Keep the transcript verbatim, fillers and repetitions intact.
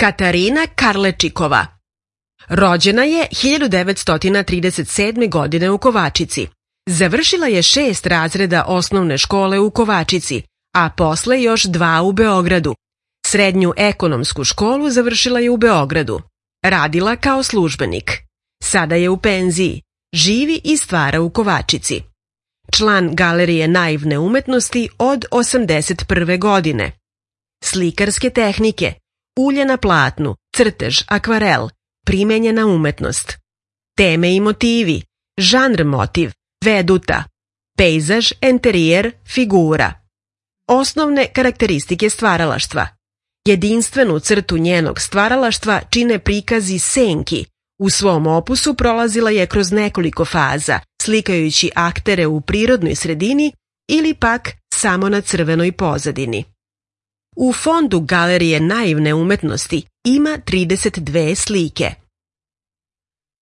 Katarina Karlečikova. Rođena je hiljadu devetsto trideset sedme. godine u Kovačici. Završila je šest razreda osnovne škole u Kovačici, a posle još dva u Beogradu. Srednju ekonomsku školu završila je u Beogradu. Radila kao službenik. Sada je u penziji. Živi i stvara u Kovačici. Član Galerije naivne umetnosti od osamdeset prve. godine. Slikarske tehnike, ulje na platnu, crtež, akvarel, primenjena umetnost. Teme i motivi, žanr motiv, veduta, pejzaž, enterijer, figura. Osnovne karakteristike stvaralaštva. Jedinstvenu crtu njenog stvaralaštva čine prikazi senki. U svom opusu prolazila je kroz nekoliko faza, slikajući aktere u prirodnoj sredini ili pak samo na crvenoj pozadini. U fondu Galerije naivne umetnosti ima trideset dve slike.